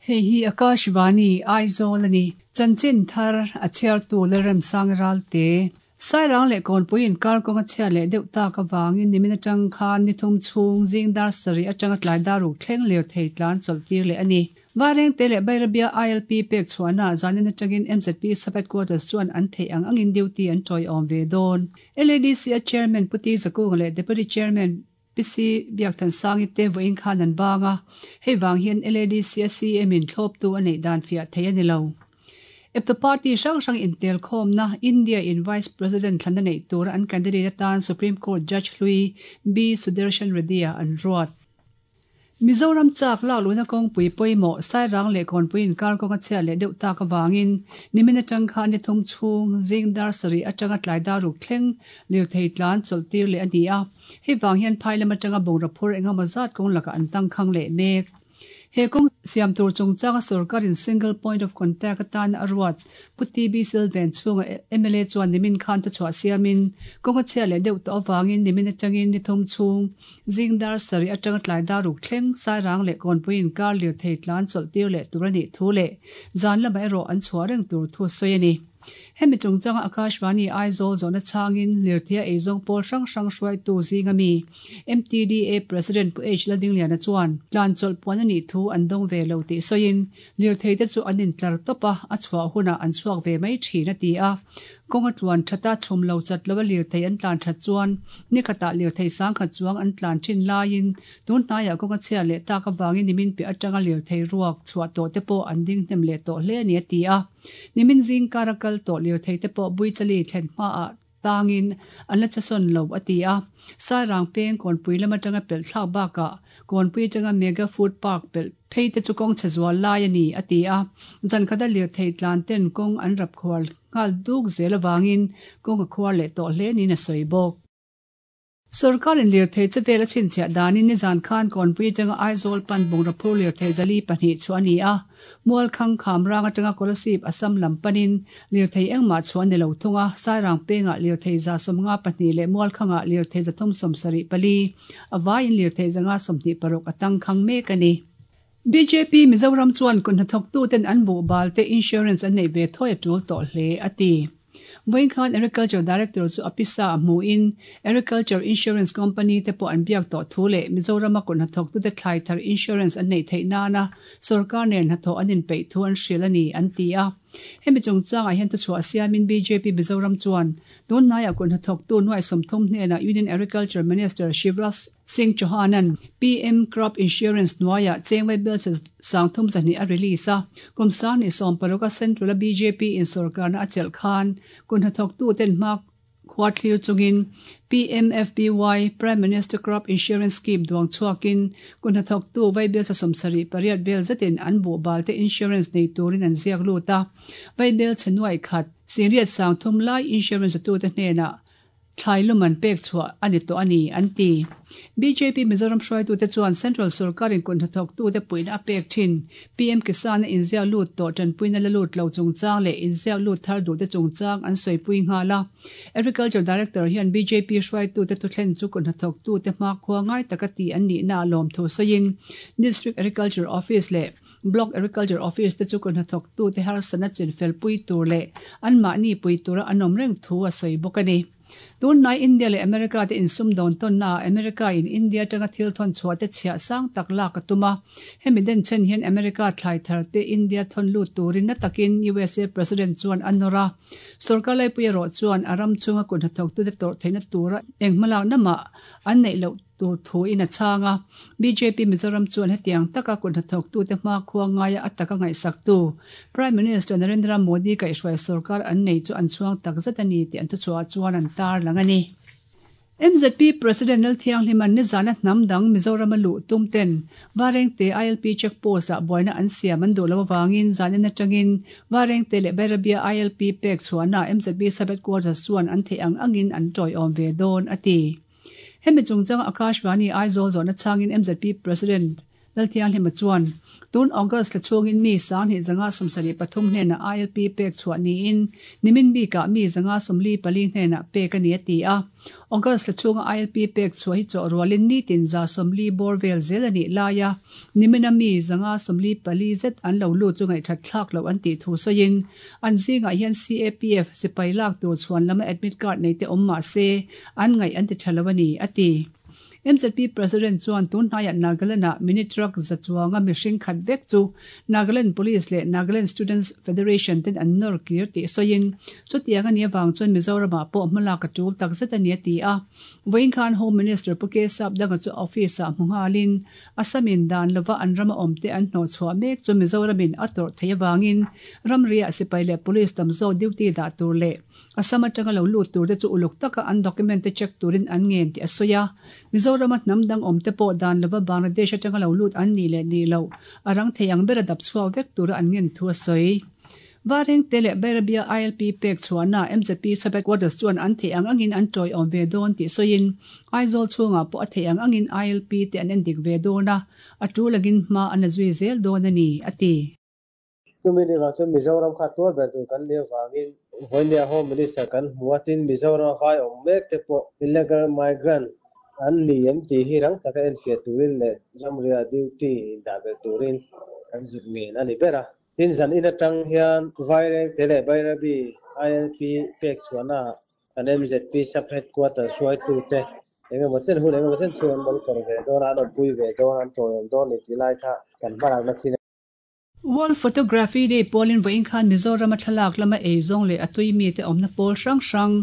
Hei hi Akashvani, Aizawl a ni. Chanchin thar a chhiartu Lalremsang Ralte. Sairang leh Kawnpui inkar kawng a chhiat leh deuh tak avangin nimin atang khan ni thum chhung zing dar sarih atanga tlai dar ruk thleng lirthei tlan chawlh tir leh a ni. Vairengte leh Bairabia ILP pek chhuahna zanin atangin MZP Sub-Headquarters chuan an theih ang angin duty an tawiawm ve dawn. LADC a Chairman Pu Ti Zakunga leh Deputy Chairman PC Biakthansangi te vawiin khan an bang a, hei vang hian LADC a CM in thlawptu a neih dan fiah thei a ni lo. Eptu party hrang hrang intelkhawmna India in Vice President thlan a neih tura an candidate atan Supreme Court Judge hlui B Sudarshan Reddy-a an ruat. Mizoram chak lak luhna kawngpui pawimawh Sairang leh Kawnpui inkar kawng a chhiat leh deuh tak avangin nimin atang khan ni thum chhung zing dar sarih atanga tlai dar ruk thleng lirthei tlan chawlh tir leh a ni a. Hei vang hian phai lam atanga bungraw phur engemaw zat kawng lakah an tangkhang leh mek. He kawng siam tur chungchanga sorkarin single point of contact atana a ruat Pu TB Silven chhunga mla chuan nimin khan thuchhuah siamin kawng a chhiat leh deuh tawh avangin nimin atangin ni thum chhung zing dar sarih atanga tlai dar ruk thleng Sairang leh Kawnpui inkar lirthei tlan chawlh tir leh tur a nih thu leh zan lamah erawh an chhuah reng tur thu a sawi a ni. Hemi chungchanga Akashvani Aizawl zawhna chhangin lirtheia eizawng pawl hrang hrang hruaitu zinga mi MTDA President Pu H Ladingliana chuan tlan chawlh puan a nih thu an dawng ve lo tih sawiin lirtheite chu an intlar tawp a, a chhuah hunah an chhuak ve mai thin a ti a. Kawng a tluan that a, chhum lo chat lo a lirthei an tlan that chuan nikhatah lirthei sangkhat chuang an tlan thin laiin Tun hnaiah kawng a chhiat leh tak avangin nimin piah atanga lirthei ruak chhuah tawh te pawh an ding hnem leh tawh hle a ni a ti a. Nimin zingkar a kal tawh lirthei te pawh Buichali thlen hmaah tangin an la chasawn lo a ti a. Sairang peng Kawnpui lam atanga pelh thlak bakah Kawnpui atanga Mega Food Park pelh phei te chu kawng chhe zual lai a ni a ti a. Zan khata lirthei tlan ten kawng an rap khual nghal duk zel avangin kawng a khuar leh tawh hle niin a sawi bawk. Sorkarin lirthei che vel a chhinchhiah danin nizan khan Kawnpui atanga Aizawl pan bungraw phur lirthei zali pahnih chhuah a ni a, Mualkhang Khamrang atanga Kolasib Assam lam panin lirthei engmah chhuah a ni lo thung a, Sairang pengah lirthei 74 leh Mualkhangah lirthei 374, a vaiin lirthei 526 a tangkhang mek a ni. Bjp Mizoram chuan kut hnathawktuten an buhbal te insurance an neih ve thawi a tul tawh hle, a ti. Vawiin khan Agriculture Director chu a pisa a hmuhin Agriculture Insurance Company te pawh an biak tawh thu leh Mizorama kut hnathawktute thlai thar insurance an neih theih nana sorkar nen hnathawh an inpeih thu an hrilh a ni, an ti a. Hemi chungchangah hian thuchhuah siamin bjp Mizoram chuan tun hnaiah kut hnathawktu nuai 30 hnenah Union Agriculture Minister Shivraj Singh Chauhan-a'n PM Crop Insurance hnuaiah chengvai bill 32 a release a, kum 2016 a Central-a bjp in sorkarna a chelh khan kut hnathawktuten hma khua thlir chungin PMFBY, Prime Minister Crop Insurance Scheme, duang chhuakin kut hnathawktu vaibel 78 vel zetin an buhbal te insurance nei turin an ziak lut a, vaibel chhe nuai khat 83,000 lai insurance atute hnenah Thlai lum an pek chhuah a ni tawh a ni, an ti. Bjp Mizoram hruaitute chuan Central sorkarin kut hnathawktute puihna a pek thin. PM Kisan-a inziak lut tawh tanpuina la lut lo chungchang leh inziak lut thar duhte chungchang an sawipui nghal a. Agriculture Director hian bjp hruaitute thuthlen chu kut hnathawktute hmakhua ngai taka tih an nihna a lawmthu sawiin District Agriculture Office leh Block Agriculture Office te chu kut hnathawktute harsatna chinfelpui tur leh anmahni pui tura an awm reng thu a sawi bawk a ni. Tunhnai India leh America te insumdawn tawnnaah America in India atanga thil thawn chhuah te chhiah sang tak lak a tum a. Hemi denchhen hian America thlai thar te India thawn lut turin na takin usa President chuan a nawr a. Sorkar laipui erawh chuan a ram chhunga kut hnathawktute tawrh theihna tura eng hmalakna mah an neih loh tur thuin a chhang a. Bjp Mizoram chuan hetiang taka kut hnathawktute hmakhua ngaia a taka ngaihsaktu Prime Minister Narendra Modi kaihhruai sorkar an nei chu an chhuang takzet a ni tih an thuchhuah chuan an tarlang a ni. MZP President Lalthianghlima'n nizana hnam dang Mizorama luh tum ten Varengte ILP check post ah buaina an siam an duh loh avangin zanin atangin Varengte leh Bairabia ILP pek chhuahna MZP Sub-Headquarters chuan an theih ang angin an tawiawm ve dawn a ti. Hemi chungchanga Akashvani Aizawl zawhna chhangin MZP President. Lalthianghlima chuan, tun August thla chhungin mi 2773 hnenah ILP pek chhuah niin nimin bikah mi 144 hnenah pek a ni a ti a. August thla chhunga ILP pek chhuah hi chawh rualin nitin 140 bawr vel zel a nih laia nimina mi 144 zet an lo lut chu ngaihthat thlak loh an tih thu sawiin an zingah hian CAPF sipai lak tur chhuan lama admit card nei te awm mah se an ngaih an ti tha lo a ni, a ti. MZP President chuan tun hnaiah Nagaland-ah mini truck za chuanga mihring khat vek chu Nagaland Police leh Nagaland Students Federation ten an nawr kir tih sawiin chutiang a nih avang chuan Mizoramah pawh hmalak a tul takzet a ni a ti a. Vawiin khan Home Minister Pu K Sapdanga chu office-ah hmu nghalin Assam-in dan lova an rama awmte an hnawhchhuah mek chu Mizoramin a tawrh theih avangin ramriah sipai leh police tam zawk duty dah tur leh Assam atanga lo lut turte chu uluk taka an document te check turin an ngen tih a sawi a. Mizorama hnam dang awmte pawh dan lova Bangladesh atanga lo lut an nih leh nih loh a rang thei ang bera dap chhuak vek tura an ngen thu a sawi. Varengte leh Bairabia ILP pek chhuahna MZP Sub-Headquarters chuan an theih ang angin an tawiawm ve dawn tih sawiin Aizawl chhungah pawh a theih ang angin ILP te an endik ve dawn a, a tul angin hma an la zui zel dawn a ni, a ti. Chumi ni vang chuan Mizoram kha tuar ber tur kan nih avangin vawinia Home Minister kan hmu a, tin Mizoram a vai awm mek te pawh illegal migrant an ni em tih hi rang taka enfiah turin leh ramria duty indah belh turin kan zuk ngen a ni ber a. Tin zan in atang hian Vairengte leh Bairabi ILP pek chhuahnaah kan MZP Sub Headquarters hruaitute engemaw chen hun engemaw chen chhung an monitor ve dawn a, an awmpui ve dawn a, an tawiawm dawn a ni tih lai kha kan hmalakna thil a ni. World Photography Day pawlin vawiin khan Mizorama thlalak lama eizawng leh a tui mite awmna pawl hrang hrang,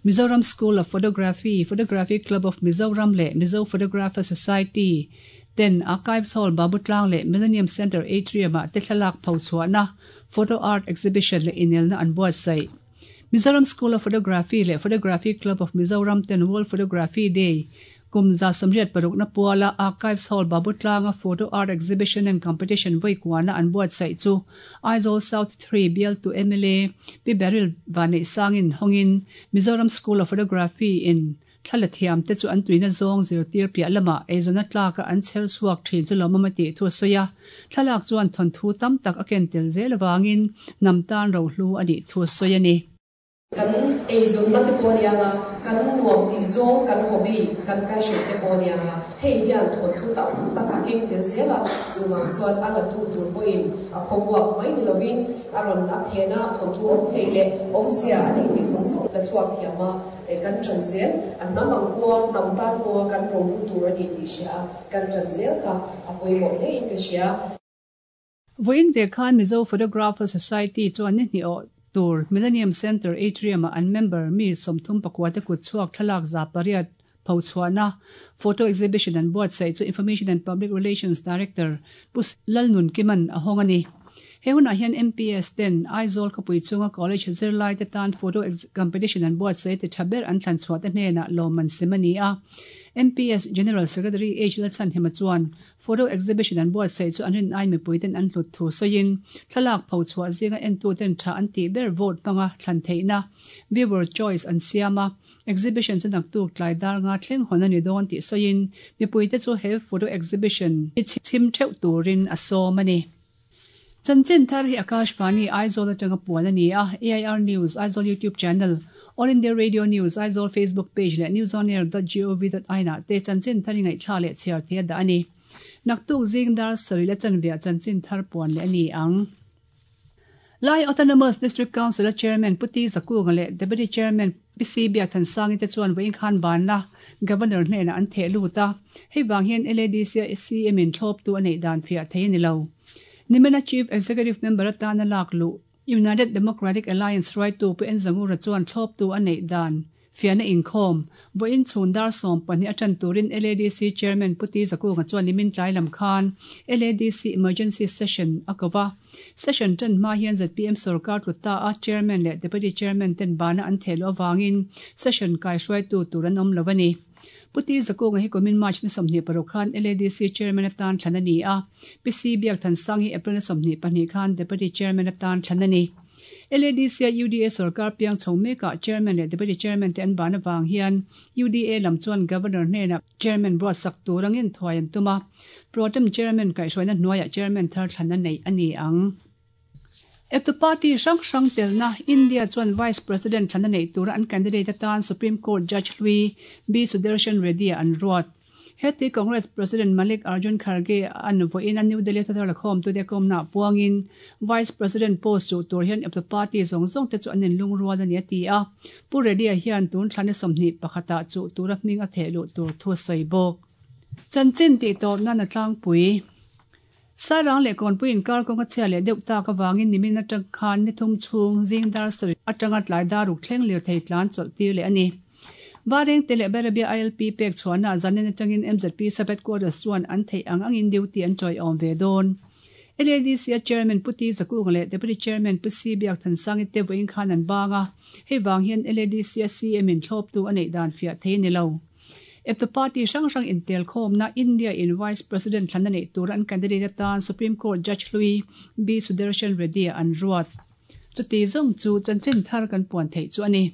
Mizoram School of Photography, Photography Club of Mizoram leh Mizo Photographer Society ten Archives Hall Babutlang leh Millennium Centre Atrium-ah te thlalak pho chhuahna Photo Art Exhibition leh inelna an buatsaih. Mizoram School of Photography leh Photography Club of Mizoram ten World Photography Day kum 86 na puala Archives Hall Babutlanga Photo Art Exhibition and Competition vawi kuana an buatsaih chu Aizawl South 3 bialtu mla Pi Beryl Vaneihsangin hawngin Mizoram School of Photography in Thla thiam te chu an tuina zawng zirtir piah lamah eizawn tlaka an chher chhuak thin chu lawmawm a tih thu a sawi a. Thlalak chuan thawnthu tam tak a ken tel zel avangin hnam tan rohlu a nih thu a sawi a ni. Kan eizawnna te pawh a nia nga, kan nuam tih zawng, kan hobby, kan passion te pawh a nia nga, hei hian thawnthu tam tak a keng tel zel a, chuvang chuan a latu tur pawhin a phawvuak mai ni lovin a rawn a phen a, thawnthu awm thei leh awmzia a neih theih zawng zawng la chhuak thiam a. Kan ṭan zel, a hnam ang pawha hnam tan pawha kan rohlu tur a ni tih hria a, kan ṭan zel kha a pawimawh hlein ka hria. Vawiin ve khan Mizo Photographer Society chuan ni hnih awh tur Millennium Centre Atrium-ah an member mi 34 te kut chhuak thlalak 800 phochhuahna photo exhibition an buatsaih chu Information and Public Relations Director Pu Lalnunkima'n a hawng a ni. He hunah hian MPS ten Aizawl khawpui chunga college zirlaite tan photo competition an buatsaih ti tha ber an thlan chhuah te hnenah lawmman sem a ni a. MPS General Secretary H Lalchhanhima chuan photo exhibition an buatsaih chu an rin ai mipui ten an hlut thu sawiin thlalak pho chhuah zinga entu ten tha an tih ber vote hmanga thlan theihna viewer choice an siam a. Exhibition chu naktuk tlai dar nga thleng hawn a ni dawn tih sawiin mipuite chu he photo exhibition hi chhim theuh turin a sawm a ni. Chanchin thar hi Akashvani Aizawl atanga puan a ni a, AIR News Aizawl YouTube channel, All India Radio News Aizawl Facebook page leh newsonair.gov.in ah te chanchin thar hi ngaihthla leh chhiar thei a dah a ni. Naktuk zing dar sarih la chanveah chanchin thar puan leh a ni ang. Lai Autonomous District Council a Chairman Pu T Zakunga leh Deputy Chairman Pi C Biakthansangi te chuan vawiin khan banna Governor hnenah an theh lut a, hei vang hian LADC a CM in thlawptu a neih dan fiah thei a ni lo. Nimina Chief Executive Member atana lak luh United Democratic Alliance hruaitu Pu Enzangura chuan thlawptu a neih dan fiahna inkhawm vawiin chhun dar 12 a tan turin LADC Chairman Pu T Zakunga chuan nimin tlai lam khan LADC Emergency Session a ko va. Session tan hma hian zpm sorkar tlu ta a Chairman leh Deputy Chairman ten bana an theh loh avangin session kai hruaitu tur an awm lo a ni. Pu T Zakunga hi kumin March ni 26 khan LADC Chairman atan thlan a ni a, Pi C Biakthansang hi April ni 22 khan Deputy Chairman atan thlan a ni. LADC-a UDA sorkar piang chho mekah Chairman leh Deputy Chairman te an ban avang hian UDA lam chuan Governor hnenah Chairman buatsak tur angin thuai an tum a, Pro-tem Chairman kaihhruaina hnuaiah Chairman thar thlan a neih a ni ang. Eptu party hrang hrang telna India chuan Vice President thlan a neih tura an candidate atan Supreme Court Judge hlui B Sudarshan Reddy-a an ruat. Heti Congress President Malik Arjun Kharge an vawiin a New Delhi thuthar lakhawmtute kawmnaah puangin Vice President post chuh tur hian eptu party zawng zawng te chu an inlungrual a ni a ti a. Pu Reddy-a hian tun thla ni 21 ah chuh tura hming a theh luh tur thu a sawi bawk. Chanchin tih tawp nan a tlangpui. Sairang leh Kawnpui inkar kawng a chhia leh deuh tak avangin nimin atang khan ni thum chhung zing dar sarih atanga tlai dar ruk thleng lirthei tlan chawlh tir leh a ni. Varengte leh Berabia ILP pek chhuahna zanin atangin mzp Sub Headquarters chuan an theih ang angin duty an tawiawm ve dawn. LADC-a Chairman Pu T Zakunga leh Deputy Chairman Pu C Biakthansangi te vawiin khan an bang a, hei vang hian LADC-a CM in thlawptu a neih dan fiah thei a ni lo. Eptu party hrang hrang intelkhawmna India in Vice President thlan a neih tura an candidate atan Supreme Court Judge hlui B Sudarshan Reddy-a an ruat. Chuti zawng chu chanchin thar kan puan theih chu a ni.